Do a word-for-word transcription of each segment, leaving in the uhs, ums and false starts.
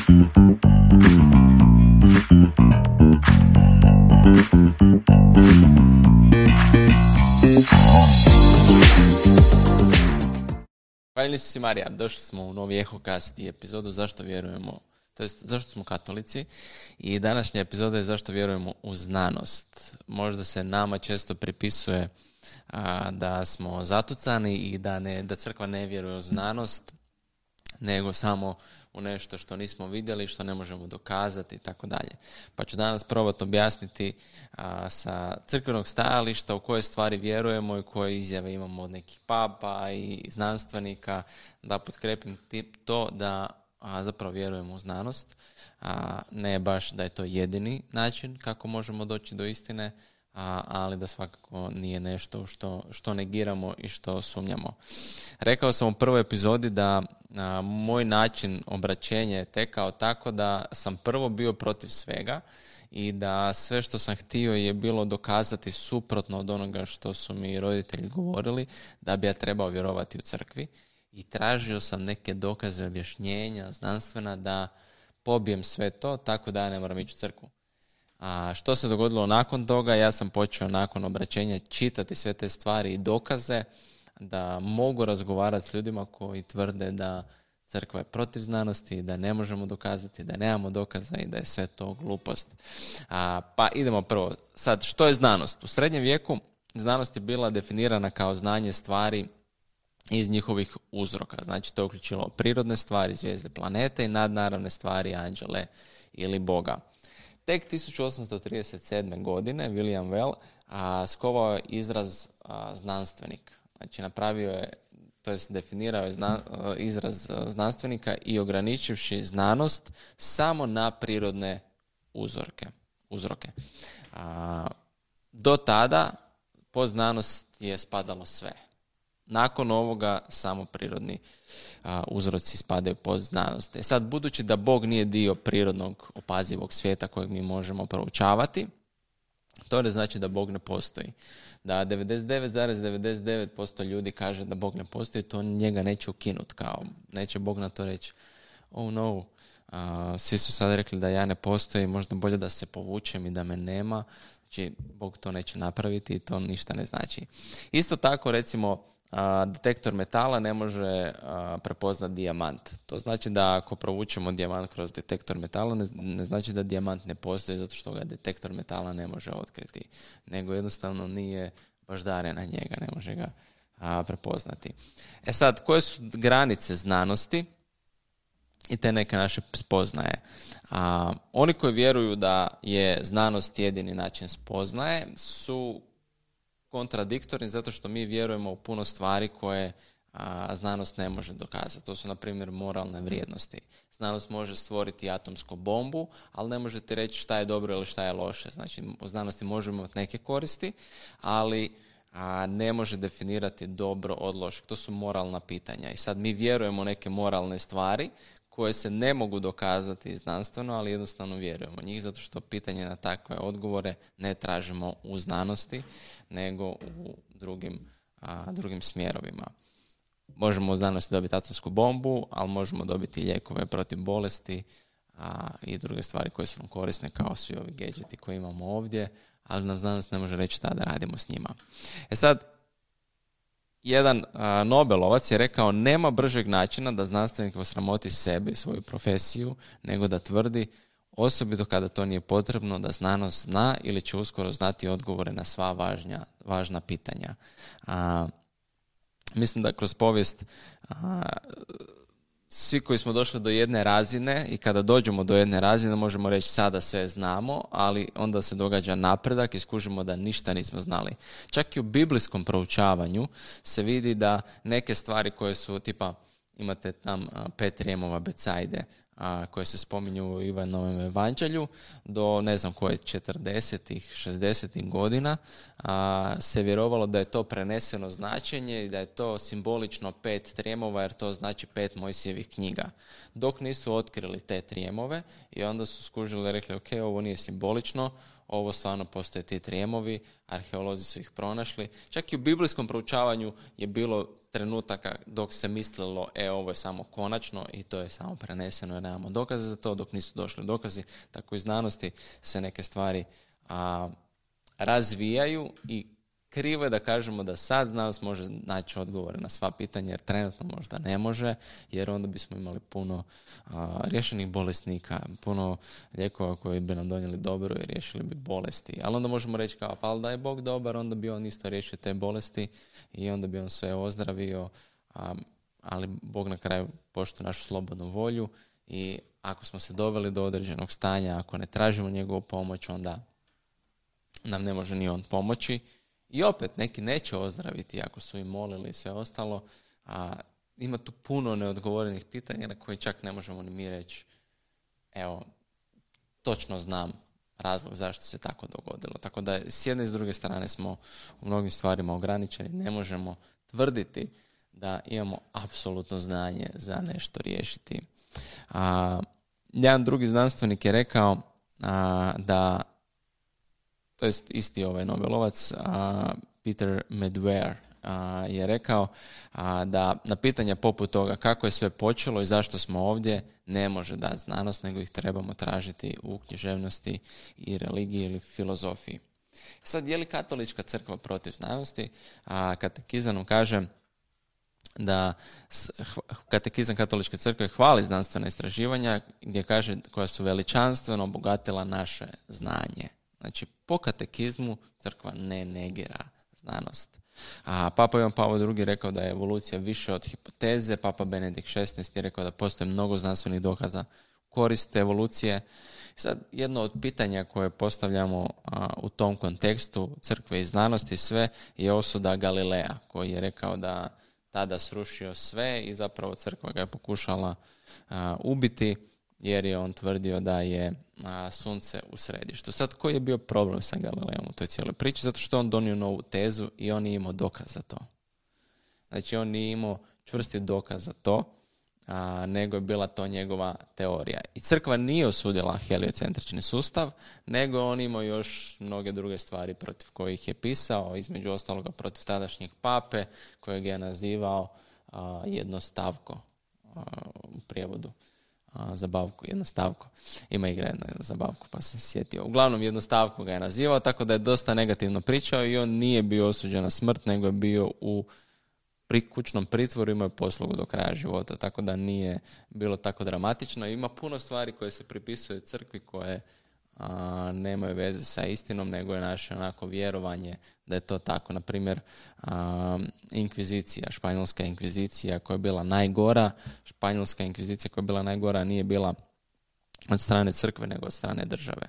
Hvala si Marija, došli smo u novi Ehokast i epizodu Zašto vjerujemo, to jest zašto smo katolici, i današnja epizoda je Zašto vjerujemo u znanost. Možda se nama često pripisuje a, da smo zatucani i da, ne, da crkva ne vjeruje u znanost, nego samo u nešto što nismo vidjeli, što ne možemo dokazati i tako dalje. Pa ću danas probati objasniti a, sa crkvenog stajališta u koje stvari vjerujemo i koje izjave imamo od nekih papa i znanstvenika, da potkrepim to da a, zapravo vjerujemo u znanost, a ne baš da je to jedini način kako možemo doći do istine, A, ali da svakako nije nešto što, što negiramo i što sumnjamo. Rekao sam u prvoj epizodi da a, moj način obraćenja je tekao tako da sam prvo bio protiv svega i da sve što sam htio je bilo dokazati suprotno od onoga što su mi roditelji govorili, da bi ja trebao vjerovati u crkvi, i tražio sam neke dokaze, objašnjenja, znanstvena, da pobijem sve to tako da ja ne moram ići u crkvu. A što se dogodilo nakon toga? Ja sam počeo nakon obraćenja čitati sve te stvari i dokaze da mogu razgovarati s ljudima koji tvrde da crkva je protiv znanosti, da ne možemo dokazati, da nemamo dokaza i da je sve to glupost. A, pa idemo prvo. Sad, što je znanost? U srednjem vijeku znanost je bila definirana kao znanje stvari iz njihovih uzroka. Znači, to je uključilo prirodne stvari, zvijezde, planete i nadnaravne stvari, anđele ili Boga. Tek tisuću osamsto trideset sedme. godine William Well a, skovao je izraz a, znanstvenik. Znači, napravio je, to jest definirao je zna, a, izraz a, znanstvenika i ograničivši znanost samo na prirodne uzorke, uzroke. A, do tada pod znanost je spadalo sve. Nakon ovoga samo prirodni a, uzroci spadaju pod znanost. E sad, budući da Bog nije dio prirodnog opazivog svijeta kojeg mi možemo proučavati, to ne znači da Bog ne postoji. Da devedeset devet zarez devedeset devet posto ljudi kaže da Bog ne postoji, to njega neće ukinuti. Kao, neće Bog na to reći, oh no, a, svi su sad rekli da ja ne postojim, možda bolje da se povučem i da me nema. Znači, Bog to neće napraviti i to ništa ne znači. Isto tako, recimo, A, detektor metala ne može a, prepoznati dijamant. To znači da ako provučemo dijamant kroz detektor metala, ne, ne znači da dijamant ne postoji zato što ga detektor metala ne može otkriti, nego jednostavno nije baždaren na njega, ne može ga a, prepoznati. E sad, koje su granice znanosti i te neke naše spoznaje? A, oni koji vjeruju da je znanost jedini način spoznaje su kontradiktorni zato što mi vjerujemo u puno stvari koje a, znanost ne može dokazati. To su, na primjer, moralne vrijednosti. Znanost može stvoriti atomsku bombu, ali ne može ti reći šta je dobro ili šta je loše. Znači, u znanosti možemo imati neke koristi, ali a, ne može definirati dobro od lošeg. To su moralna pitanja. I sad mi vjerujemo u neke moralne stvari koje se ne mogu dokazati znanstveno, ali jednostavno vjerujemo njih, zato što pitanje na takve odgovore ne tražimo u znanosti, nego u drugim, a, drugim smjerovima. Možemo u znanosti dobiti atomsku bombu, ali možemo dobiti lijekove protiv bolesti a, i druge stvari koje su nam korisne, kao svi ovi gadgeti koje imamo ovdje, ali nam znanost ne može reći šta da radimo s njima. E sad, jedan a, Nobelovac je rekao, nema bržeg načina da znanstvenik osramoti sebe i svoju profesiju, nego da tvrdi, osobito kada to nije potrebno, da znanost zna ili će uskoro znati odgovore na sva važnja, važna pitanja. A, mislim da kroz povijest a, svi koji smo došli do jedne razine i kada dođemo do jedne razine možemo reći sada sve znamo, ali onda se događa napredak i skužimo da ništa nismo znali. Čak i u biblijskom proučavanju se vidi da neke stvari koje su tipa, imate tam pet rijemova Becajde a, koje se spominju u Ivanovom evanđelju, do ne znam koje četrdesetih, šezdesetih godina a, se vjerovalo da je to preneseno značenje i da je to simbolično pet trijemova jer to znači pet Mojsijevih knjiga. Dok nisu otkrili te trijemove i onda su skužili i rekli ok, ovo nije simbolično, ovo stvarno postoje ti trijemovi, arheolozi su ih pronašli. Čak i u biblijskom proučavanju je bilo trenutaka dok se mislilo, e, ovo je samo konačno i to je samo preneseno jer nemamo dokaze za to, dok nisu došli dokazi. Tako i znanosti se neke stvari a, razvijaju i krivo je da kažemo da sad znanost može naći odgovore na sva pitanja, jer trenutno možda ne može, jer onda bismo imali puno a, rješenih bolesnika, puno lijekova koji bi nam donijeli dobro i riješili bi bolesti. Ali onda možemo reći kao, pa ali da je Bog dobar, onda bi on isto riješio te bolesti i onda bi on sve ozdravio, a, ali Bog na kraju poštuje našu slobodnu volju i ako smo se doveli do određenog stanja, ako ne tražimo njegovu pomoć, onda nam ne može ni on pomoći. I opet, neki neće ozdraviti ako su im molili i sve ostalo, a ima tu puno neodgovorenih pitanja na koje čak ne možemo ni mi reći, evo, točno znam razlog zašto se tako dogodilo. Tako da s jedne i s druge strane smo u mnogim stvarima ograničeni, ne možemo tvrditi da imamo apsolutno znanje za nešto riješiti. A, jedan drugi znanstvenik je rekao a, da to jest isti ovaj Nobelovac, a, Peter Medware, a, je rekao a, da na pitanja poput toga kako je sve počelo i zašto smo ovdje ne može dati znanost, nego ih trebamo tražiti u književnosti i religiji ili filozofiji. Sad, je li katolička crkva protiv znanosti? A, katekizam kaže da katekizam katoličke crkve hvali znanstvena istraživanja gdje kaže koja su veličanstveno obogatila naše znanje. Znači, po katekizmu crkva ne negira znanost. A Papa Ivan Pavao drugi rekao da je evolucija više od hipoteze, Papa Benedikt šesnaesti je rekao da postoji mnogo znanstvenih dokaza koriste evolucije. Sad, jedno od pitanja koje postavljamo a, u tom kontekstu crkve i znanosti sve je osuda Galileja, koji je rekao da tada srušio sve i zapravo crkva ga je pokušala a, ubiti, jer je on tvrdio da je a, sunce u središtu. Sad, koji je bio problem sa Galileom u toj cijeloj priči? Zato što on donio novu tezu i on nije imao dokaz za to. Znači, on nije imao čvrsti dokaz za to, a, nego je bila to njegova teorija. I crkva nije osudila heliocentrični sustav, nego on imao još mnoge druge stvari protiv kojih je pisao, između ostaloga protiv tadašnjeg pape, kojeg je nazivao a, jednostavko a, u prijevodu. Zabavku, jednostavko. Ima igra jedna zabavku, pa sam se sjetio. Uglavnom, jednostavko ga je nazivao, tako da je dosta negativno pričao i on nije bio osuđen na smrt, nego je bio u kućnom pritvoru, imao je poslugu do kraja života, tako da nije bilo tako dramatično. Ima puno stvari koje se pripisuju crkvi koje a, nemaju veze sa istinom, nego je naše onako vjerovanje da je to tako. Naprimjer, a, inkvizicija, španjolska inkvizicija koja je bila najgora, španjolska inkvizicija koja je bila najgora nije bila od strane crkve, nego od strane države.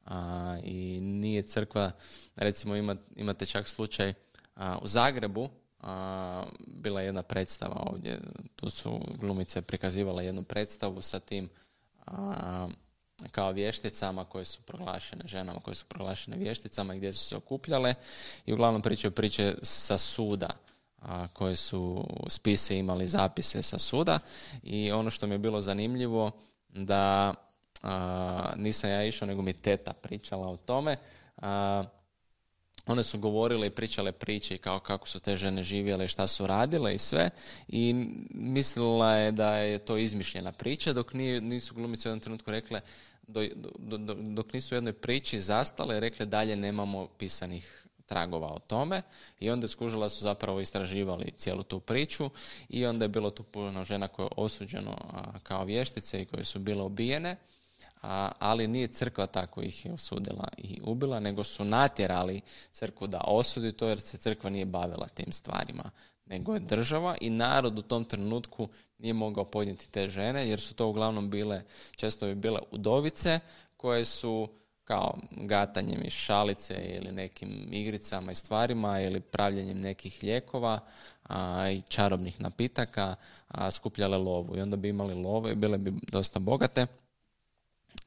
A, I nije crkva, recimo ima, imate čak slučaj a, u Zagrebu, a, bila je jedna predstava ovdje, tu su glumice prikazivale jednu predstavu sa tim a, kao vješticama koje su proglašene, ženama koje su proglašene vješticama i gdje su se okupljale i uglavnom pričaju priče sa suda, a, koje su spise imali zapise sa suda i ono što mi je bilo zanimljivo da a, nisam ja išao, nego mi teta pričala o tome. A, one su govorile i pričale priče kao kako su te žene živjele, šta su radile i sve i mislila je da je to izmišljena priča, dok nije, nisu glumice u jednom trenutku rekle, do, do, do, dok nisu u jednoj priči zastale, rekle dalje nemamo pisanih tragova o tome i onda skužila su zapravo istraživali cijelu tu priču i onda je bilo tu puno žena koje je osuđeno a, kao vještice i koje su bile ubijene. A, ali nije crkva tako ih je osudila i ubila, nego su natjerali crkvu da osudi to jer se crkva nije bavila tim stvarima, nego je država i narod u tom trenutku nije mogao podnijeti te žene jer su to uglavnom bile, često bi bile udovice koje su kao gatanjem iz šalice ili nekim igricama i stvarima ili pravljenjem nekih lijekova a, i čarobnih napitaka a, skupljale lovu i onda bi imali lovu i bile bi dosta bogate.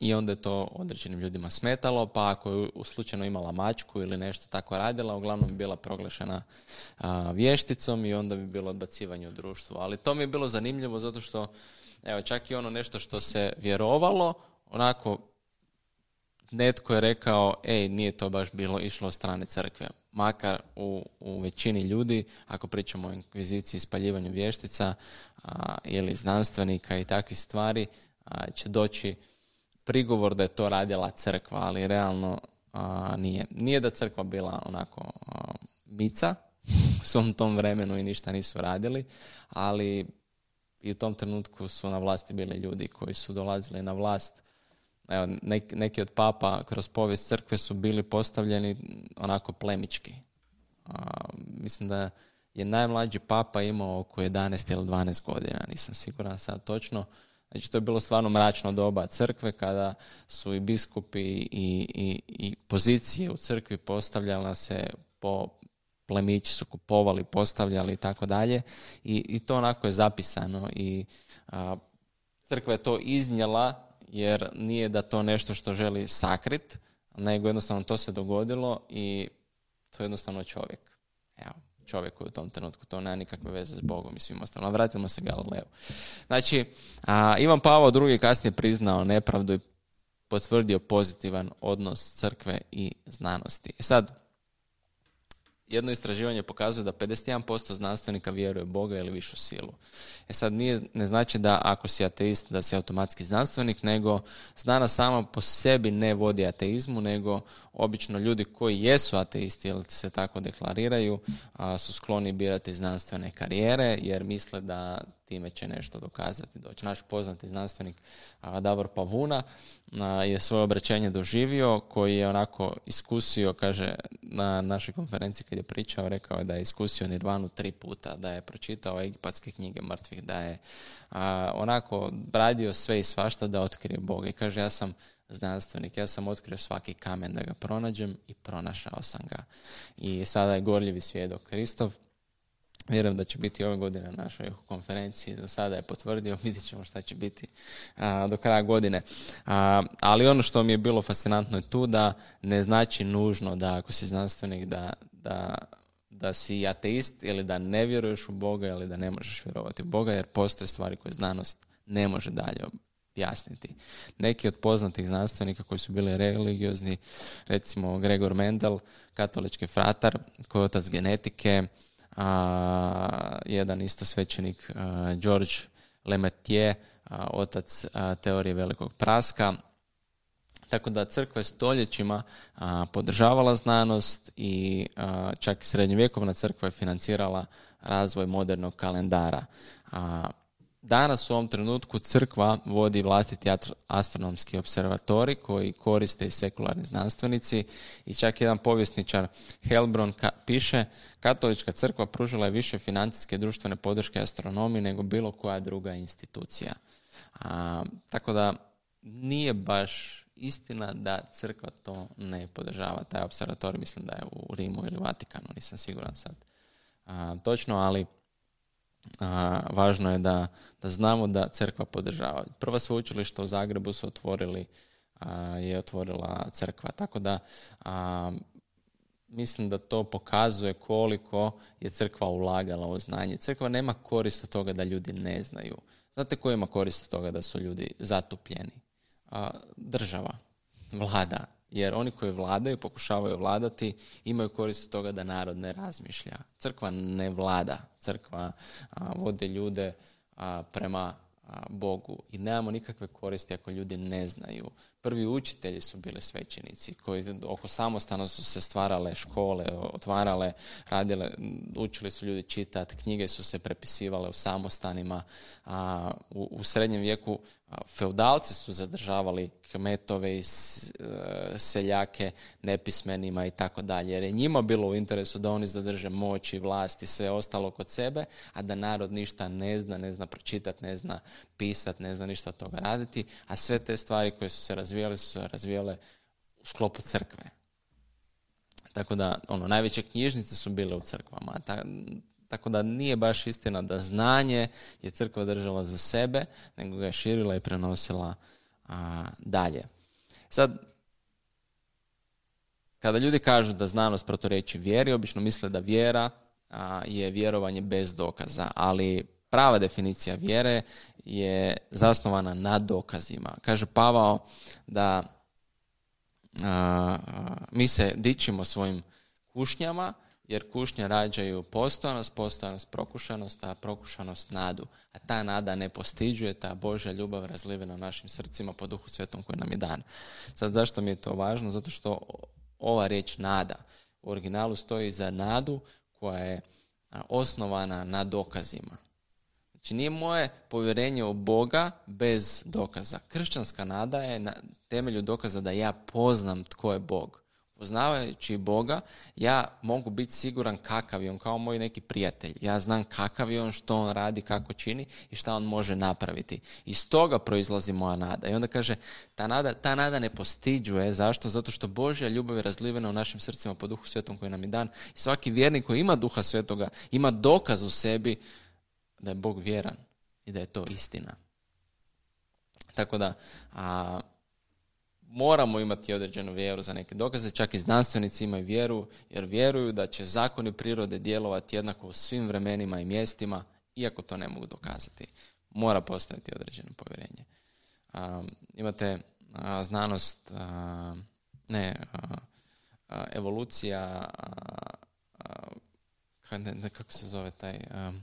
I onda je to određenim ljudima smetalo, pa ako je u slučajno imala mačku ili nešto tako radila, uglavnom bi bila proglašena a, vješticom i onda bi bilo odbacivanje u društvu. Ali to mi je bilo zanimljivo zato što, evo, čak i ono nešto što se vjerovalo, onako netko je rekao, ej, nije to baš bilo išlo od strane crkve. makar u, u većini ljudi, ako pričamo o inkviziciji, spaljivanju vještica a, ili znanstvenika i takvih stvari, a, će doći prigovor da je to radila crkva, ali realno a, nije. Nije da crkva bila onako a, mica u svom tom vremenu i ništa nisu radili, ali i u tom trenutku su na vlasti bili ljudi koji su dolazili na vlast. Evo, neki, neki od papa kroz povijest crkve su bili postavljeni onako plemički. A, mislim da je najmlađi papa imao oko jedanaest ili dvanaest godina, nisam siguran sad točno. Znači, to je bilo stvarno mračno doba crkve, kada su i biskupi i, i, i pozicije u crkvi postavljala se po plemići su kupovali, postavljali i tako dalje. I, i to onako je zapisano i a, crkva je to iznijela, jer nije da to nešto što želi sakrit, nego jednostavno to se dogodilo i to je jednostavno čovjek. Evo, čovjek koji u tom trenutku, to nema nikakve veze s Bogom i svim ostalim. Vratimo se Galileu. Znači, a, Ivan Pavao drugi kasnije priznao nepravdu i potvrdio pozitivan odnos crkve i znanosti. E sad, jedno istraživanje pokazuje da pedeset jedan posto znanstvenika vjeruje u Boga ili višu silu. E sad, nije, ne znači da ako si ateist da si automatski znanstvenik, nego znanost sama po sebi ne vodi ateizmu, nego obično ljudi koji jesu ateisti ili se tako deklariraju a, su skloni birati znanstvene karijere jer misle da time će nešto dokazati. Doći. Naš poznati znanstvenik a, Davor Pavuna a, je svoje obraćanje doživio, koji je onako iskusio, kaže na našoj konferenciji kad je pričao, rekao je da je iskusio Nirvanu tri puta, da je pročitao egipatske knjige mrtvih, da je a, onako radio sve i svašta da otkrije Boga. I kaže, ja sam znanstvenik, ja sam otkrio svaki kamen da ga pronađem i pronašao sam ga. I sada je gorljivi svjedok Kristov. Vjerujem da će biti ove godine na našoj konferenciji. Za sada je potvrdio, vidjet ćemo šta će biti a, do kraja godine. A, ali ono što mi je bilo fascinantno je tu da ne znači nužno da ako si znanstvenik da, da, da si ateist ili da ne vjeruješ u Boga ili da ne možeš vjerovati u Boga, jer postoje stvari koje znanost ne može dalje objasniti. Neki od poznatih znanstvenika koji su bili religiozni, recimo Gregor Mendel, katolički fratar, koji je otac genetike, a, jedan isto svećenik a, George Lemaitre, a, otac a, teorije velikog praska. Tako da crkva je stoljećima a, podržavala znanost i a, čak i srednjovjekovna crkva je financirala razvoj modernog kalendara. A, Danas u ovom trenutku crkva vodi vlastiti astronomski observatori koji koriste i sekularni znanstvenici i čak jedan povjesničar Helbron ka- piše katolička crkva pružila je više financijske i društvene podrške astronomiji nego bilo koja druga institucija. A, tako da nije baš istina da crkva to ne podržava. Taj observator mislim da je u Rimu ili Vatikanu, nisam siguran sad a, točno, ali A, važno je da, da znamo da crkva podržava. Prva sveučilišta u Zagrebu su otvorili, a, je otvorila crkva. Tako da a, mislim da to pokazuje koliko je crkva ulagala u znanje. Crkva nema korist od toga da ljudi ne znaju. Znate ko ima korist od toga da su ljudi zatupljeni? A, država, vlada. Jer oni koji vladaju, pokušavaju vladati, imaju korist od toga da narod ne razmišlja. Crkva ne vlada. Crkva a, vodi ljude a, prema a, Bogu. I nemamo nikakve koristi ako ljudi ne znaju. Prvi učitelji su bili svećenici koji oko samostana su se stvarale škole, otvarale, radile, učili su ljudi čitati, knjige su se prepisivale u samostanima. A, u, u srednjem vijeku feudalci su zadržavali kmetove i seljake nepismenima i tako dalje, jer je njima bilo u interesu da oni zadrže moć i vlast i sve ostalo kod sebe, a da narod ništa ne zna, ne zna pročitati, ne zna pisati, ne zna ništa od toga raditi, a sve te stvari koje su se razvijale su se razvijale u sklopu crkve. Tako da, ono, najveće knjižnice su bile u crkvama, ta, tako da nije baš istina da znanje je crkva držala za sebe, nego ga je širila i prenosila a, dalje. Sad, kada ljudi kažu da znanost proturječi vjeri, obično misle da vjera a, je vjerovanje bez dokaza, ali prava definicija vjere je zasnovana na dokazima. Kaže Pavao da a, a, mi se dičimo svojim kušnjama, jer kušnje rađaju postojanost, postojanost prokušanost, a prokušanost nadu. A ta nada ne postiđuje, ta Božja ljubav razlivena u našim srcima po Duhu Svetom koji nam je dan. Sad zašto mi je to važno? Zato što ova riječ nada u originalu stoji za nadu koja je osnovana na dokazima. Znači nije moje povjerenje u Boga bez dokaza. Kršćanska nada je na temelju dokaza da ja poznam tko je Bog. Poznavajući Boga, ja mogu biti siguran kakav je on, kao moj neki prijatelj. Ja znam kakav je on, što on radi, kako čini i šta on može napraviti. Iz toga proizlazi moja nada. I onda kaže, ta nada, ta nada ne postiđuje. Zašto? Zato što Božja ljubav je razlivena u našim srcima po Duhu Svetom koji nam je dan. I svaki vjernik koji ima Duha Svetoga ima dokaz u sebi da je Bog vjeran i da je to istina. Tako da... A, moramo imati određenu vjeru za neke dokaze, čak i znanstvenici imaju vjeru, jer vjeruju da će zakoni prirode djelovati jednako u svim vremenima i mjestima, iako to ne mogu dokazati. Mora postojati određeno povjerenje. Um, imate uh, znanost, uh, ne, uh, uh, evolucija, uh, uh, kako se zove taj... Um,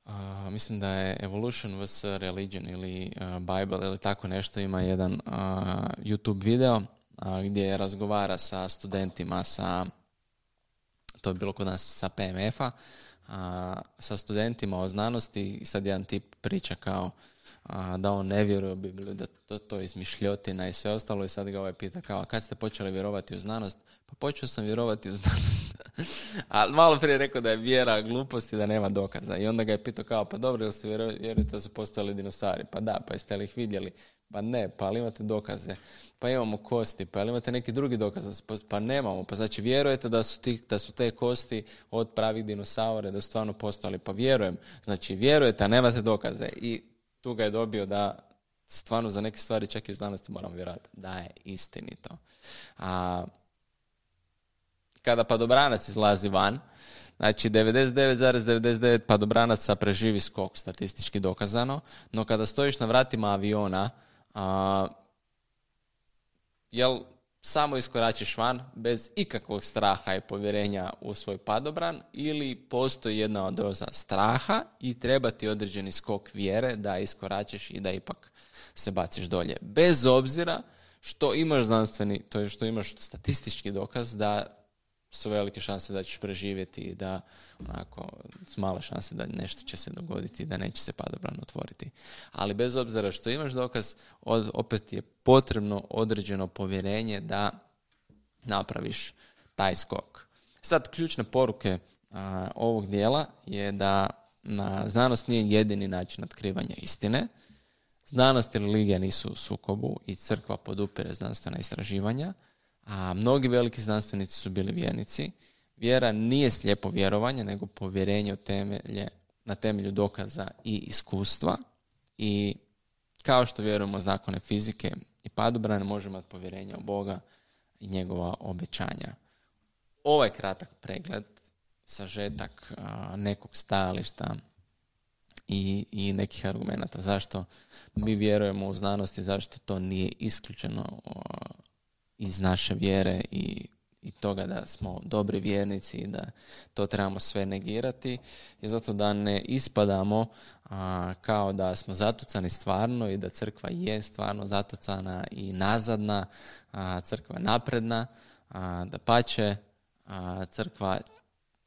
Uh, mislim da je Evolution vs. Religion ili uh, Bible ili tako nešto, ima jedan uh, YouTube video uh, gdje razgovara sa studentima, sa, to je bilo kod nas sa P M F-a, uh, sa studentima o znanosti i sad jedan tip priča kao uh, da on ne vjeruje u Bibliju, da to, to je izmišljotina i sve ostalo i sad ga ovaj pita kao, kad ste počeli vjerovati u znanost? Pa počeo sam vjerovati u znanost. A malo prije rekao da je vjera glupost i da nema dokaza. I onda ga je pitao kao, pa dobro, jel ste vjerujete da su postojali dinosauri? Pa da, pa jeste li ih vidjeli? Pa ne, pa ali imate dokaze? Pa imamo kosti, pa ali imate neki drugi dokaz? Pa nemamo, pa znači vjerujete da su, ti, da su te kosti od pravih dinosaura, da su stvarno postojali? Pa vjerujem. Znači vjerujete, a nemate dokaze. I tu ga je dobio da stvarno za neke stvari čak i u znanosti moramo vjerovati da je istinito. A kada padobranac izlazi van, znači devedeset devet zarez devedeset devet padobranaca preživi skok, statistički dokazano, no kada stojiš na vratima aviona, a, jel samo iskoračiš van bez ikakvog straha i povjerenja u svoj padobran ili postoji jedna doza straha i treba ti određeni skok vjere da iskoračiš i da ipak se baciš dolje. Bez obzira što imaš znanstveni, to je što imaš statistički dokaz da su velike šanse da ćeš preživjeti i da onako su male šanse da nešto će se dogoditi i da neće se padobran otvoriti. Ali bez obzira što imaš dokaz, od, opet je potrebno određeno povjerenje da napraviš taj skok. Sad, ključne poruke a, ovog dijela je da na, znanost nije jedini način otkrivanja istine. Znanost i religija nisu u sukobu i crkva podupire znanstvena istraživanja. A mnogi veliki znanstvenici su bili vjernici. Vjera nije slijepo vjerovanje, nego povjerenje u temelje, na temelju dokaza i iskustva. I kao što vjerujemo u zakone fizike i padobrane, možemo imati povjerenje u Boga i njegova obećanja. Ovaj kratak pregled, sažetak a, nekog stajališta i, i nekih argumenata zašto mi vjerujemo u znanost i zašto to nije isključeno a, iz naše vjere i, i toga da smo dobri vjernici i da to trebamo sve negirati, je zato da ne ispadamo a, kao da smo zatucani stvarno i da crkva je stvarno zatucana i nazadna, a, crkva je napredna, a, da pače, a, crkva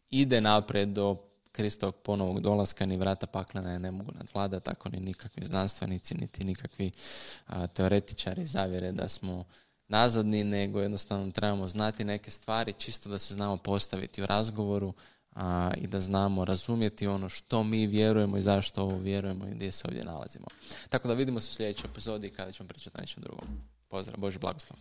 ide naprijed do Kristovog ponovog dolaska, ni vrata paklena je ne mogu nadvladati, tako ni nikakvi znanstvenici, niti nikakvi a, teoretičari zavjere da smo nazadni, nego jednostavno trebamo znati neke stvari čisto da se znamo postaviti u razgovoru a, i da znamo razumjeti ono što mi vjerujemo i zašto ovo vjerujemo i gdje se ovdje nalazimo. Tako da vidimo se u sljedećoj epizodi kada ćemo pričati o nečem drugom. Pozdrav, Božji blagoslov.